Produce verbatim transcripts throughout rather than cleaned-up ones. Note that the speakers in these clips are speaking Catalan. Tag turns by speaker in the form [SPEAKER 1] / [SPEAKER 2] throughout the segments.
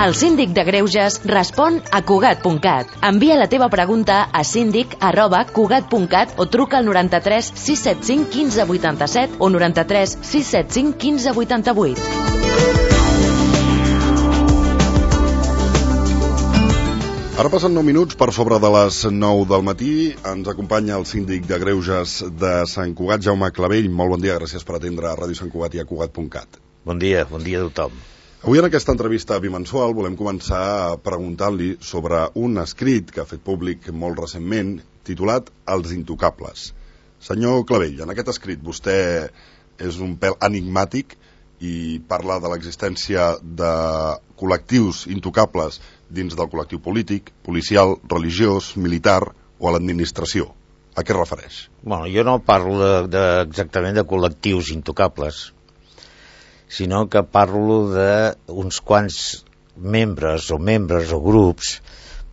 [SPEAKER 1] El síndic de Greuges respon a Cugat punt cat. Envia la teva pregunta a síndic arroba cugat punt cat o truca al noranta-tres sis set cinc quinze vuitanta-set o noranta-tres sis set cinc quinze vuitanta-vuit.
[SPEAKER 2] Ara passen nou minuts per sobre de les nou del matí. Ens acompanya el síndic de Greuges de Sant Cugat, Jaume Clavell. Molt bon dia, gràcies per atendre a Ràdio Sant Cugat i a Cugat punt cat.
[SPEAKER 3] Bon dia, bon dia a tothom.
[SPEAKER 2] Avui en aquesta entrevista bimensual volem començar preguntant-li sobre un escrit que ha fet públic molt recentment, titulat Els intocables. Senyor Clavell, en aquest escrit vostè és un pèl enigmàtic i parla de l'existència de col·lectius intocables dins del col·lectiu polític, policial, religiós, militar o a l'administració. A què es refereix?
[SPEAKER 3] Bueno, jo no parlo de, de, exactament de col·lectius intocables, sinó que parlo d'uns quants membres o membres o grups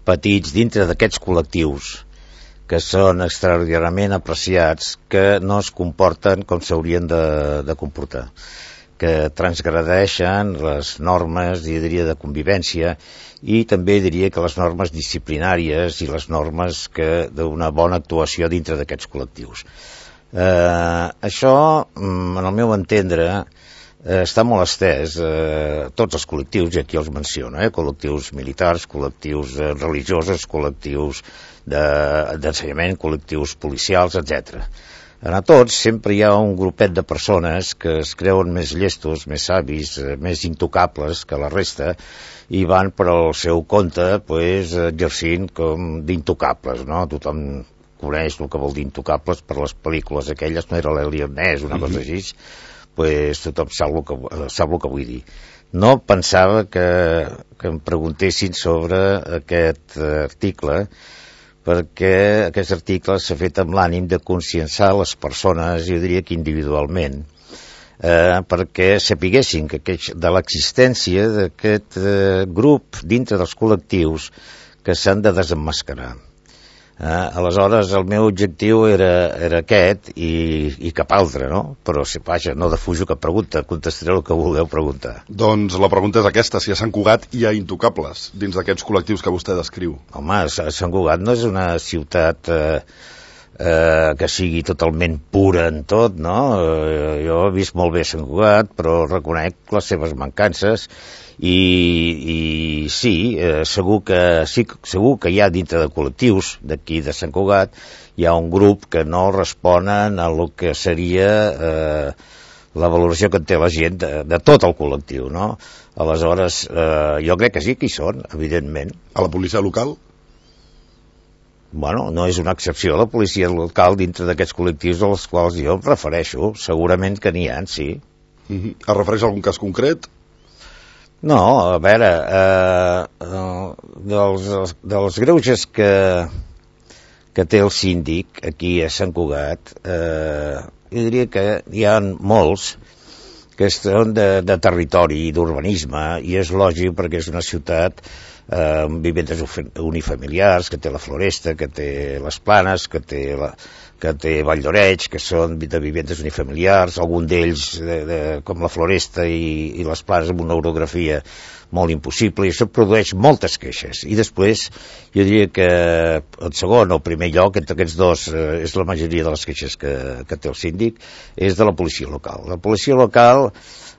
[SPEAKER 3] petits dintre d'aquests col·lectius que són extraordinàriament apreciats, que no es comporten com s'haurien de, de comportar, que transgredeixen les normes, jo diria, de convivència, i també diria que les normes disciplinàries i les normes que d'una bona actuació dintre d'aquests col·lectius. Eh, això, en el meu entendre, eh, està molt estès eh, tots els col·lectius, i aquí els menciono, eh, col·lectius militars, col·lectius eh, religiosos, col·lectius d'ensenyament, de, col·lectius policials, etcètera. En a tots sempre hi ha un grupet de persones que es creuen més llestos, més savis, més intocables que la resta, i van per al seu compte pues, exercint com d'intocables, no? Tothom coneix el que vol dir intocables per les pel·lícules aquelles, no era l'Eliot Ness, una cosa així, pues, tothom sap el, que, sap el que vull dir. No pensava que, que em preguntessin sobre aquest article, perquè aquest article s'ha fet amb l'ànim de conscienciar les persones, jo diria que individualment, eh, perquè sapiguessin que, que de l'existència d'aquest eh, grup dintre dels col·lectius que s'han de desemmascarar. Eh, aleshores, el meu objectiu era, era aquest i, i cap altre, no? Però, si vaja, no defujo cap pregunta, contestaré el que vulgueu preguntar.
[SPEAKER 2] Doncs la pregunta és aquesta, si a Sant Cugat hi ha intocables dins d'aquests col·lectius que vostè descriu.
[SPEAKER 3] Home, Sant Cugat no és una ciutat eh, eh, que sigui totalment pura en tot, no? Eh, jo he vist molt bé Sant Cugat, però reconec les seves mancances. I, i sí, eh, segur, que, sí, segur que hi ha dintre de col·lectius d'aquí de Sant Cugat hi ha un grup que no responen a lo que seria eh, la valoració que té la gent de, de tot el col·lectiu, no? Aleshores, eh, jo crec que sí que hi són, evidentment.
[SPEAKER 2] A la policia local?
[SPEAKER 3] Bueno, no és una excepció la policia local dintre d'aquests col·lectius als quals jo em refereixo, segurament que n'hi ha, sí.
[SPEAKER 2] Mm-hmm. Es refereix a algun cas concret?
[SPEAKER 3] No, a veure, eh, eh, dels, dels greuges que, que té el síndic aquí a Sant Cugat, eh, jo diria que hi ha molts que són de, de territori i d'urbanisme, i és lògic perquè és una ciutat eh, amb vivendes unifamiliars, que té la Floresta, que té les Planes, que té la... que té Vall d'Oreig, que són de vivendes unifamiliars, algun d'ells de, de, com la Floresta i, i les Planes amb una orografia molt impossible, i això produeix moltes queixes. I després, jo diria que el segon o el primer lloc, entre aquests dos, eh, és la majoria de les queixes que, que té el síndic, és de la policia local. La policia local,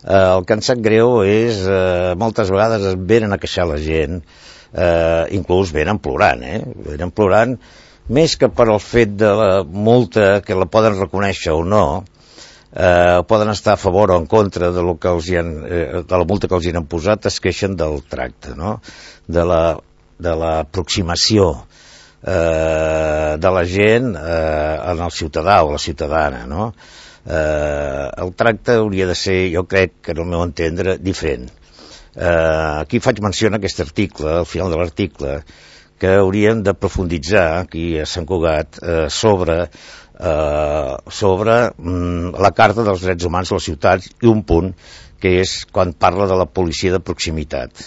[SPEAKER 3] eh, el que em sap greu és, eh, moltes vegades venen a queixar la gent, eh, inclús venen plorant, eh? Venen plorant, més que per el fet de la multa, que la poden reconèixer o no, eh, poden estar a favor o en contra de, lo que els hi han, eh, de la multa que els hi han posat, es queixen del tracte, no? De la, de l'aproximació eh, de la gent eh, en el ciutadà o la ciutadana, no? Eh, el tracte hauria de ser, jo crec, que en el meu entendre, diferent. Eh, aquí faig menció en aquest article, al final de l'article, que hauríem de profunditzar aquí a Sant Cugat eh, sobre, eh, sobre mm, la Carta dels Drets Humans a les ciutats, i un punt que és quan parla de la policia de proximitat.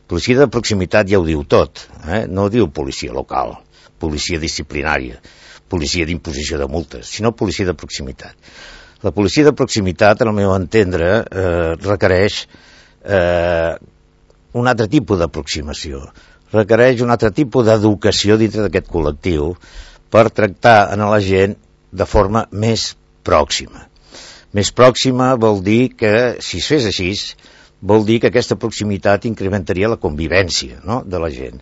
[SPEAKER 3] Policia de proximitat ja ho diu tot, eh? No diu policia local, policia disciplinària, policia d'imposició de multes, sinó policia de proximitat. La policia de proximitat, en el meu entendre, eh, requereix eh, un altre tipus d'aproximació, requereix un altre tipus d'educació dintre d'aquest col·lectiu per tractar a la gent de forma més pròxima. Més pròxima vol dir que, si es fes així, vol dir que aquesta proximitat incrementaria la convivència, no?, de la gent.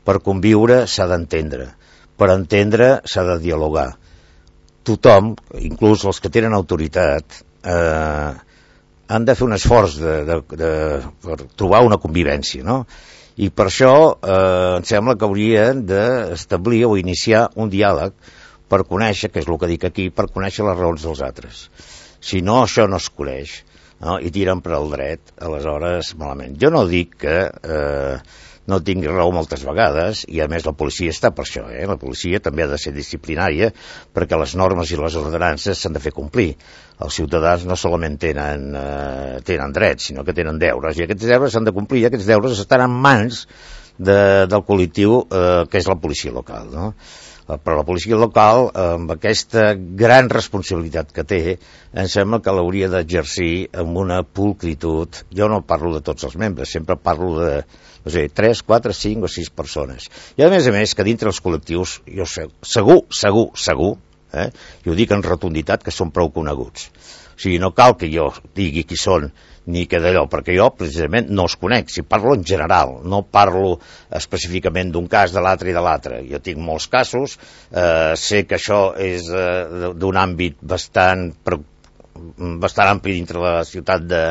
[SPEAKER 3] Per conviure s'ha d'entendre, per entendre s'ha de dialogar. Tothom, inclús els que tenen autoritat, eh, han de fer un esforç de, de, de, per trobar una convivència, no? I per això eh, em sembla que haurien d'establir o iniciar un diàleg per conèixer, que és el que dic aquí, per conèixer les raons dels altres. Si no, això no es coneix, no? I tiren per al dret, aleshores malament. Jo no dic que eh, no tingui raó moltes vegades, i a més la policia està per això, eh? La policia també ha de ser disciplinària, perquè les normes i les ordenances s'han de fer complir. Els ciutadans no solament tenen, eh, tenen drets, sinó que tenen deures, i aquests deures s'han de complir, i aquests deures estan en mans de, del col·lectiu eh, que és la policia local, no? Però la policia local, amb aquesta gran responsabilitat que té, em sembla que l'hauria d'exercir amb una pulcritud. Jo no parlo de tots els membres, sempre parlo de, no sé, tres, quatre, cinc o sis persones. I a més a més, que dintre els col·lectius, jo sé, segur, segur, segur, eh, i ho dic en rotunditat, que són prou coneguts. O sigui, no cal que jo digui qui són, ni que d'allò, perquè jo precisament no els conec, si parlo en general, no parlo específicament d'un cas, de l'altre i de l'altre. Jo tinc molts casos, eh, sé que això és eh, d'un àmbit bastant, bastant ampli dintre la ciutat de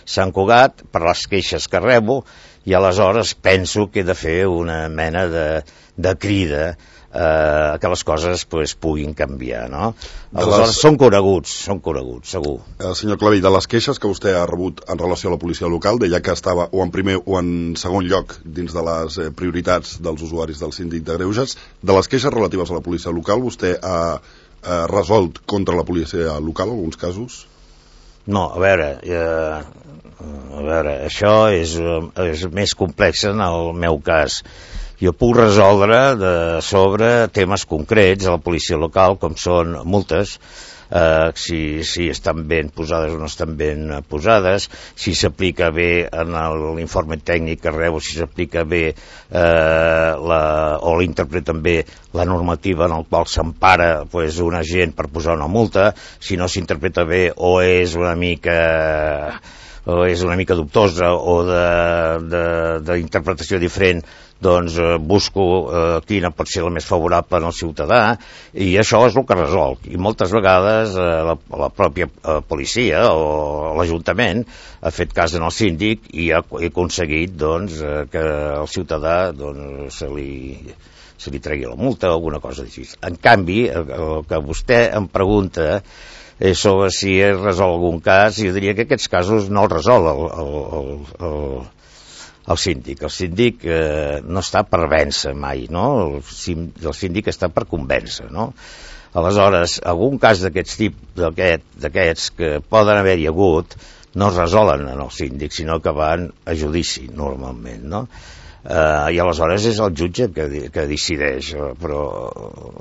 [SPEAKER 3] Sant Cugat, per les queixes que rebo, i aleshores penso que he de fer una mena de, de crida eh, que les coses pues, puguin canviar, no? Aleshores les... són coneguts, són coneguts, segur.
[SPEAKER 2] El senyor Clavell, de les queixes que vostè ha rebut en relació a la policia local, deia que estava o en primer o en segon lloc dins de les eh, prioritats dels usuaris del síndic de Greuges. De les queixes relatives a la policia local, vostè ha, ha resolt contra la policia local alguns casos?
[SPEAKER 3] No, a veure, eh, a veure, això és, és més complex en el meu cas. Jo puc resoldre de sobre temes concrets a la policia local, com són multes, eh, si, si estan ben posades o no estan ben posades, si s'aplica bé en l'informe tècnic que rebo, si s'aplica bé eh, la, o l'interpreten bé la normativa en el qual s'empara pues, un agent per posar una multa, si no s'interpreta bé o és una mica... o és una mica dubtosa o d'interpretació diferent, doncs eh, busco eh, quina pot ser la més favorable al ciutadà, i això és el que resol. I moltes vegades eh, la, la pròpia eh, policia o l'Ajuntament ha fet cas en el síndic i ha, ha aconseguit doncs, eh, que el ciutadà doncs, se li... se li tregui la multa o alguna cosa així. En canvi, el, el que vostè em pregunta és sobre si es resol algun cas, jo diria que aquests casos no els resol el, el, el, el, el síndic. El síndic eh, no està per vèncer mai, no? El, el síndic està per convèncer, no? Aleshores, algun cas d'aquests tipus, d'aquests que poden haver-hi hagut, no es resolen en el síndic, sinó que van a judici, normalment, no? Uh, i aleshores és el jutge que, que decideix, però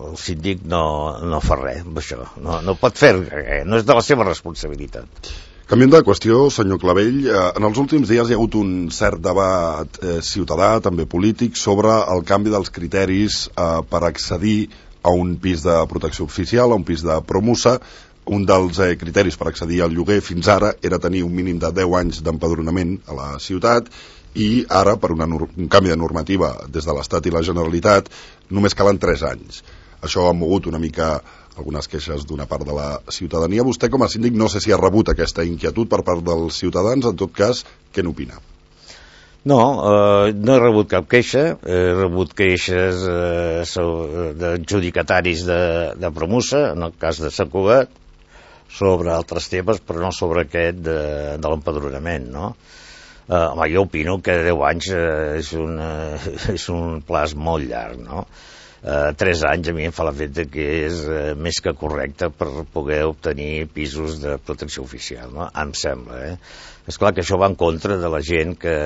[SPEAKER 3] el síndic no, no fa res amb això, no, no pot fer res, no és de la seva responsabilitat.
[SPEAKER 2] Canviant de qüestió, senyor Clavell, eh, en els últims dies hi ha hagut un cert debat eh, ciutadà, també polític, sobre el canvi dels criteris eh, per accedir a un pis de protecció oficial, a un pis de promusa. Un dels eh, criteris per accedir al lloguer fins ara era tenir un mínim de deu anys d'empadronament a la ciutat, i ara, per una, un canvi de normativa des de l'Estat i la Generalitat, només calen tres anys. Això ha mogut una mica algunes queixes d'una part de la ciutadania. Vostè, com a síndic, no sé si ha rebut aquesta inquietud per part dels ciutadans. En tot cas, què n'opina?
[SPEAKER 3] No, eh, no he rebut cap queixa. He rebut queixes eh, d'adjudicataris de, de Promusa, en el cas de Sant Cugat, sobre altres temes, però no sobre aquest de, de l'empadronament, no? Uh, home, jo opino que deu anys uh, és, un, uh, és un plaç molt llarg, no? Uh, tres anys a mi em fa l'efecte que és uh, més que correcte per poder obtenir pisos de protecció oficial, no? Em sembla, eh? Esclar que això va en contra de la gent que,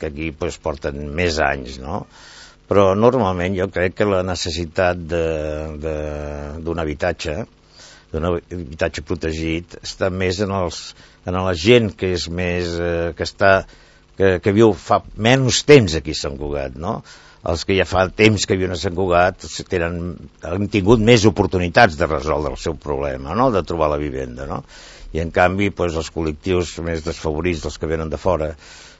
[SPEAKER 3] que aquí pues, porten més anys, no? Però normalment jo crec que la necessitat d'un habitatge, d'un habitatge protegit, està més en, els, en la gent que és més, eh, que està que, que viu fa menys temps aquí a Sant Cugat, no? Els que ja fa temps que viuen a Sant Cugat tenen, han tingut més oportunitats de resoldre el seu problema, no? De trobar la vivenda, no? I en canvi doncs, els col·lectius més desfavorits, els que venen de fora,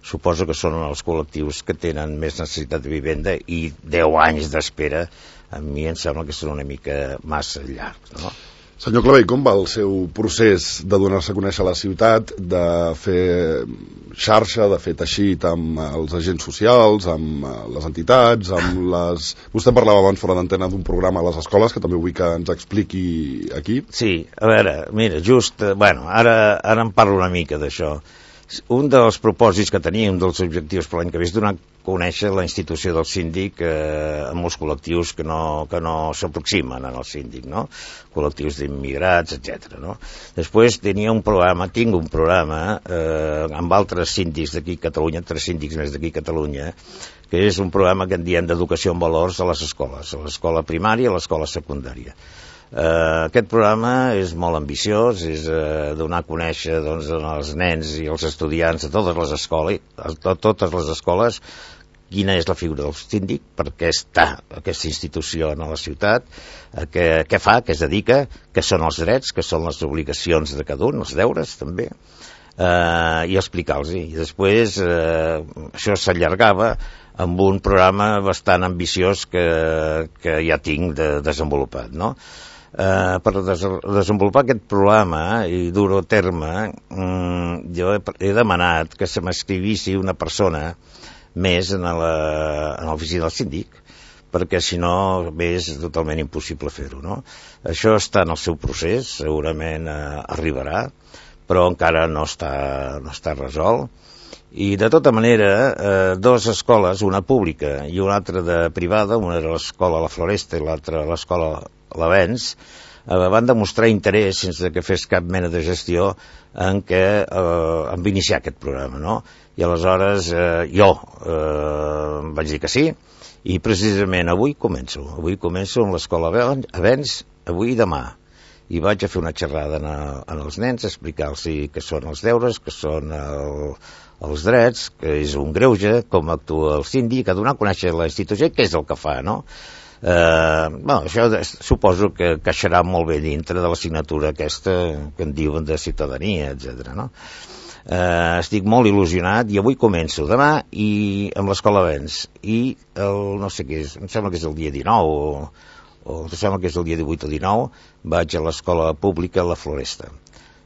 [SPEAKER 3] suposo que són els col·lectius que tenen més necessitat de vivenda, i deu anys d'espera a mi em sembla que són una mica massa llargs, no?
[SPEAKER 2] Senyor Clavell, com va el seu procés de donar-se a conèixer a la ciutat, de fer xarxa, de fer teixit amb els agents socials, amb les entitats, amb les... Vostè parlava abans fora d'antena d'un programa a les escoles, que també vull que ens expliqui aquí.
[SPEAKER 3] Sí, a veure, mira, just, bueno, ara, ara em parlo una mica d'això. Un dels propòsits que tenia, un dels objectius per l'any que ve, és donar a conèixer la institució del síndic eh, a molts col·lectius que no, que no s'aproximen al síndic, no? Col·lectius d'immigrats, etcètera, no? Després tenia un programa, tinc un programa eh, amb altres síndics d'aquí a Catalunya, tres síndics més d'aquí a Catalunya, que és un programa que en diem d'educació en valors a les escoles, a l'escola primària i a l'escola secundària. Uh, aquest programa és molt ambiciós, és uh, donar a conèixer doncs, als nens i als estudiants de totes les escoles, a totes les escoles, quina és la figura del síndic, per què està aquesta institució a la ciutat, uh, què, què fa, què es dedica, què són els drets, què són les obligacions de cada un, els deures també, uh, i explicar-los. I després uh, això s'allargava amb un programa bastant ambiciós que, que ja tinc de, desenvolupat, no? Uh, per des desenvolupar aquest programa i dur-ho a terme, um, jo he, he demanat que se m'escrivissi una persona més en l'oficina del síndic, perquè si no és totalment impossible fer-ho, no? Això està en el seu procés, segurament uh, arribarà, però encara no està, no està resolt. I de tota manera, eh, dues escoles, una pública i una altra de privada, una era l'escola La Floresta i l'altra l'escola L'Avenç, eh, van demostrar interès sense que fes cap mena de gestió en què eh, en iniciar aquest programa, no? I aleshores eh, jo eh, vaig dir que sí, i precisament avui començo, avui començo amb l'escola L'Avenç, avui i demà. I vaig a fer una xerrada en, a, en els nens, explicar-los què són els deures, què són el, els drets, que és un greuge, com actua el síndic, a donar a conèixer la institució, què és el que fa, no? Eh, bueno, això suposo que caixarà molt bé dintre de l'assignatura aquesta que en diuen de ciutadania, etcètera, no? Eh, estic molt il·lusionat i avui començo, demà, i amb l'escola L'Avenç, i el, no sé què és, em sembla que és el dia dinou o... o em sembla que és el dia divuit o dinou, vaig a l'escola pública La Floresta.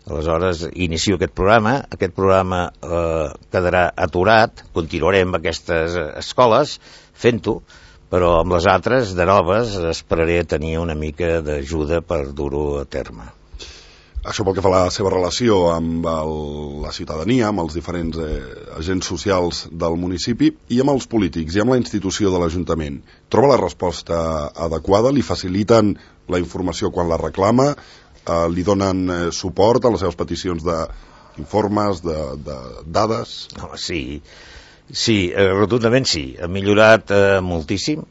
[SPEAKER 3] Aleshores, inicio aquest programa, aquest programa eh, quedarà aturat, continuarem amb aquestes escoles fent-ho, però amb les altres, de noves, esperaré tenir una mica d'ajuda per dur-ho a terme.
[SPEAKER 2] Això pel que fa a la seva relació amb el, la ciutadania, amb els diferents eh, agents socials del municipi i amb els polítics i amb la institució de l'Ajuntament. Troba la resposta adequada? Li faciliten la informació quan la reclama? Eh, li donen eh, suport a les seves peticions d'informes, de, de dades?
[SPEAKER 3] Oh, sí, sí, eh, rotundament sí. Ha millorat eh, moltíssim.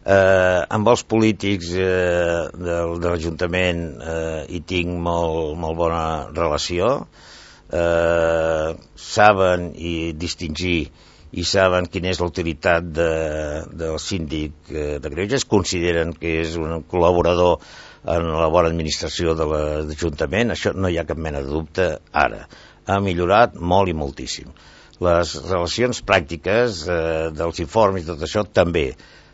[SPEAKER 3] Eh, amb els polítics eh, de, de l'Ajuntament eh, hi tinc molt, molt bona relació, eh, saben i distingir i saben quina és la utilitat de, del síndic eh, de Greuges, consideren que és un col·laborador en la bona administració de l'Ajuntament, això no hi ha cap mena de dubte ara. Ha millorat molt i moltíssim. Les relacions pràctiques eh, dels informes i tot això també.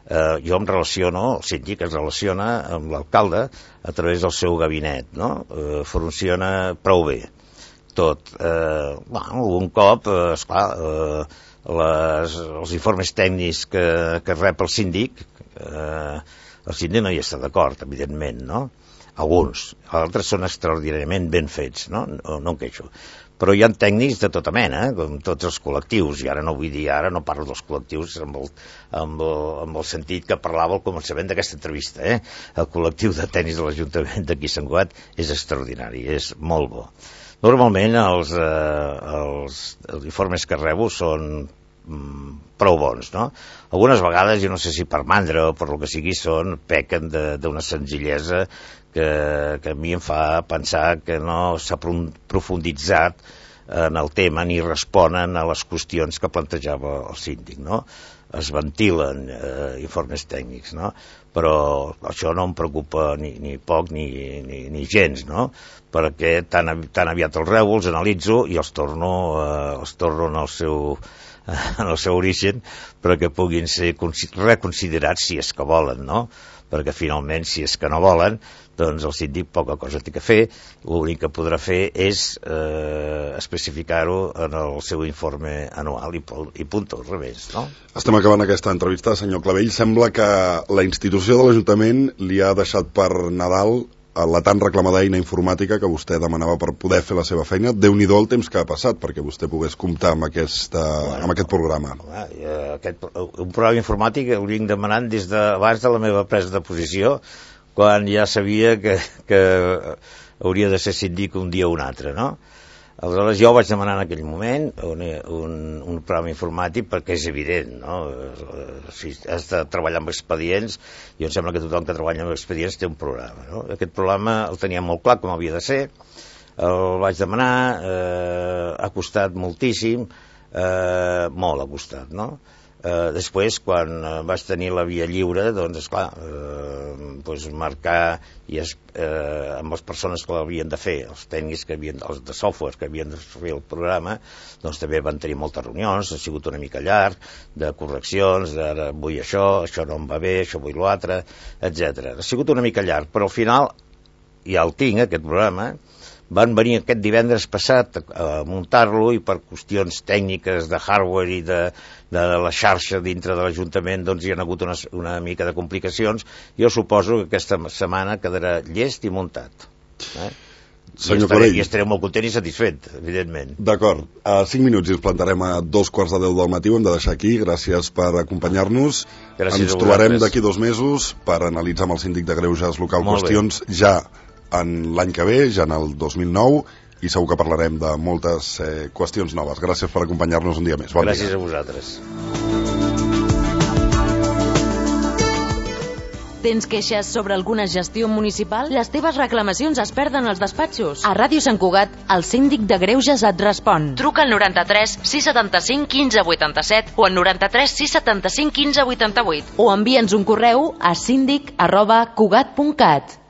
[SPEAKER 3] Uh, jo em relaciono, el síndic es relaciona amb l'alcalde a través del seu gabinet, no? Uh, funciona prou bé tot. Uh, bueno, un cop, uh, esclar, uh, les, els informes tècnics que, que rep el síndic, uh, el síndic no hi està d'acord, evidentment, no? Alguns, altres són extraordinàriament ben fets, no? No, no em queixo. Però hi ha tècnics de tota mena, com tots els col·lectius, i ara no vull dir, ara no parlo dels col·lectius amb el, amb el, amb el sentit que parlava al començament d'aquesta entrevista, eh? El col·lectiu de tècnics de l'Ajuntament d'aquí a Sant Cugat és extraordinari, és molt bo. Normalment els, eh, els, els informes que rebo són mm, prou bons, no? Algunes vegades, jo no sé si per mandra o per lo que sigui, són, pequen d'una senzillesa que, que a mi em fa pensar que no s'ha profunditzat en el tema ni responen a les qüestions que plantejava el síndic, no? Es ventilen eh, informes tècnics, no? Però això no em preocupa ni, ni poc ni, ni, ni gens, no? Perquè tan, tan aviat els rebo, els analitzo i els torno, eh, els torno en el seu, en el seu origen perquè puguin ser reconsiderats si és que volen, no? Perquè finalment, si és que no volen, doncs el síndic poca cosa té que fer, l'únic que podrà fer és eh, especificar-ho en el seu informe anual i, i punt, al revés, no?
[SPEAKER 2] Estem acabant aquesta entrevista, senyor Clavell. Sembla que la institució de l'Ajuntament li ha deixat per Nadal la tan reclamada eina informàtica que vostè demanava per poder fer la seva feina. Déu-n'hi-do el temps que ha passat perquè vostè pogués comptar amb, aquesta, bueno, amb aquest programa.
[SPEAKER 3] Home, aquest, un programa informàtic el vinc demanant des d'abans de la meva presa de posició, quan ja sabia que, que hauria de ser síndic un dia o un altre, no? Aleshores jo vaig demanar en aquell moment un, un, un programa informàtic perquè és evident, no? Si has de treballar amb expedients, i em sembla que tothom que treballa amb expedients té un programa, no? Aquest programa el tenia molt clar com havia de ser, el vaig demanar, eh, ha costat moltíssim, eh, molt ha costat, no? Eh, després, quan eh, vaig tenir la via lliure, doncs, esclar, eh, doncs marcar i es, eh, amb les persones que l'havien de fer, els tècnics que havien, els de software que havien de fer el programa, doncs també van tenir moltes reunions, ha sigut una mica llarg, de correccions, d'ara vull això, això no em va bé, això vull l'altre, etcètera. Ha sigut una mica llarg, però al final ja el tinc, aquest programa. Van venir aquest divendres passat a muntar-lo i per qüestions tècniques de hardware i de, de la xarxa dintre de l'Ajuntament doncs hi ha hagut una, una mica de complicacions. Jo suposo que aquesta setmana quedarà llest i muntat. Eh?
[SPEAKER 2] Senyor
[SPEAKER 3] I, estaré,
[SPEAKER 2] Clavell.
[SPEAKER 3] I estaré molt content i satisfet, evidentment.
[SPEAKER 2] D'acord. A cinc minuts i ens plantarem a dos quarts de deu del matí. Ho hem de deixar aquí. Gràcies per acompanyar-nos.
[SPEAKER 3] Gràcies
[SPEAKER 2] ens
[SPEAKER 3] a
[SPEAKER 2] trobarem
[SPEAKER 3] vosaltres.
[SPEAKER 2] d'aquí dos mesos per analitzar amb el síndic de Greuges local
[SPEAKER 3] Molt
[SPEAKER 2] qüestions bé. Ja en l'any que ve, ja en el dos mil nou, i segur que parlarem de moltes eh, qüestions noves. Gràcies per acompanyar-nos un dia més. Bon
[SPEAKER 3] Gràcies
[SPEAKER 2] dia.
[SPEAKER 3] a vosaltres.
[SPEAKER 1] Tens queixes sobre alguna gestió municipal? Les teves reclamacions es perden als despatxos. A Ràdio Sant Cugat, el síndic de Greuges et respon. Truca al noranta-tres sis setanta-cinc quinze vuitanta-set o al noranta-tres sis setanta-cinc quinze vuitanta-vuit o envia'ns un correu a síndic arroba cugat punt cat.